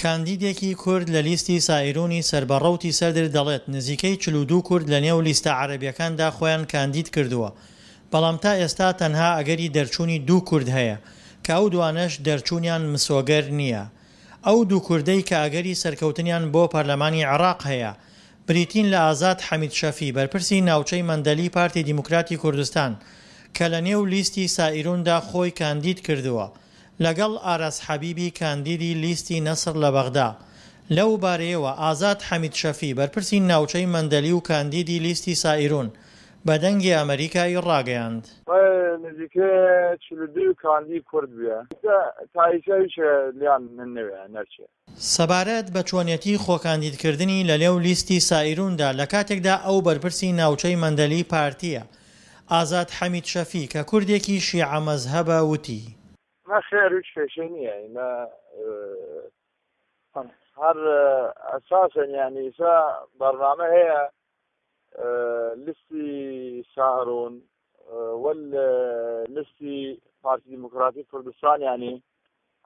کاندیدێکی کورد لە لیستی سائیرونی سەر بە ڕەوتی سەدر دەڵێت نزیکەی 42 کورد لە نێو لیستە عەرەبیەکاندا خۆیان کاندید کردووە، بەڵام تا ئێستا تەنها ئەگەری دەرچوونی دوو کورد هەیە، کە ئەو دوانەش دەرچوونیان مسۆگەر نییە. ئەو دوو کوردەی کە ئەگەری سەرکەوتنیان بۆ پەرلەمانی عێراق هەیە، بریتین لە ئازاد حەمید شەفی بەرپرسی ناوچەی مەندەلی پارتی دیموکراتی کوردستان کە لە نێو لیستی سائیروندا خۆی کاندید کردووە لەگەڵ ئاراس حەبیبی کاندیدی لیستی نەسڕ لە بەغدا. لەو بارەیەوە ئازاد حەمید شەفی بەرپرسی ناوچەی مەندەلی و کاندیدی لیستی سائیرون بە دەنگی ئەمەریکای ڕاگەیاند. نزیکەی 42 کاندید کورد بویە تا ئیسە هیچ لیان نەویە نەرچێ. سەبارەت بە چۆنیەتی خۆکاندیدکردنی لەنێو لیستی سائیروندا لەکاتێکدا ئەو بەرپرسی ناوچەی مەندەلی پارتییە، ئازاد حەمید شەفی کە کوردێکی شیعە مەزهەبە وتی. نەخێر هیچ کێشەی نییە ئیمە هەر ئەساسەن یانی ئیسا بەرنامە هەیە لیستی سائرون وەل لیستی پارتی دیموکراتی کوردستان یانی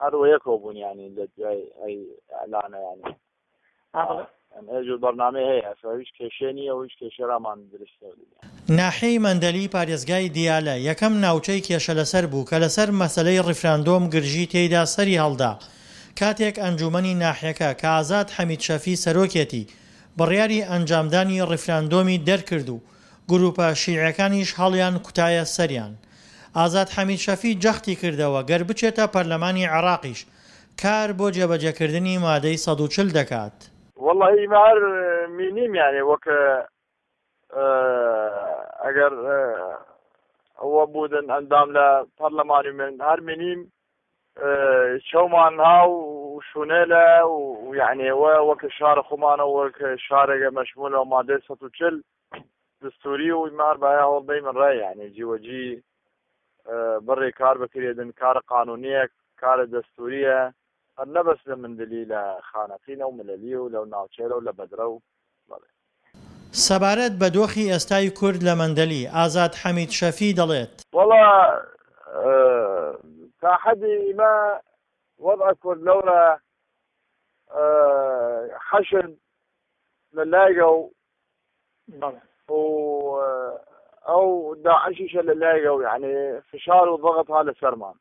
هەر وە یەکەوە بوون یانی لە دوای ئەی ئەلانە یانی ئێجور بەرنامەی هەیە ئەسا هیچ کێشەی نییە و هیچ کێشەی ڕامان دروست نەبوو. ناحیەی مەندەلی پارێزگای دیالە یەکەم ناوچەی کێشەلەسەر بوو کە لەسەر مەسەلەی ڕیفراندۆم گرژی تێیدا سەری هەڵدا کاتێک ئەنجوومەنی ناحیەکە کە ئازاد حەمید شەفی سەرۆکێتی بڕیاری ئەنجامدانی ڕیفراندۆمی دەرکرد و گرووپە شیعیەکانیش هەڵیان کوتایە سەریان. ئازاد حەمید شەفی جەختی کردەوە گەر بچێتە پەرلەمانی عێراقیش کار بۆ جێبەجێکردنی مادەی 140 دەکات. وەڵاهی ئیمە هەر مینیم یانێ وەک ئەگەر ئەوە بوودن ئەندام لە پەرلەمانی من هەر مینیم چەومان ها و شوونێلە و یعنی وەک شار خۆمانە وەک شارێگە مەشمولە و مادەی 140 دستوری و ئیمە هەر بایا هەوڵ بەیمن ڕای یعنی جیوەجی بڕێ کار بکرێدن کار قانونیە کار دەستوریە هەر نەبەس لە مندلی لە خانەقینە و ملەلی و لەو ناوچەیلە و لە بەدرە و بەڵێ. سەبارەت بە دۆخی ئێستای کورد لە مەندەلی، ئازاد حەمید شەفی دەڵێت. وەڵا تا حەدی ئیمە وەزع کورد لەورە حەشد لە لایگەو و ئەو داعشیشە لە لایگەو یعنی فشار و ضغط ها لەسەرمان.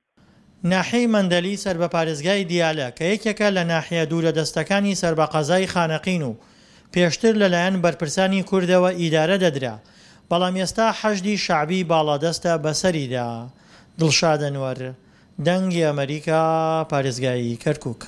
ناحیەی مەندەلی سەر بە پارێزگای دیالە کە یەکێکە لە ناحیە دوورە دەستەکانی سەر بە قەزای خانەقین و پێشتر لەلایەن بەرپرسانی کوردەوە ئیدارە دەدرا، بەڵام ئێستا حەشدی شەعبی باڵادەستە بەسەریدا. دڵشاد ئەنوەر، دەنگی ئەمەریکا، پارێزگای کەرکوک.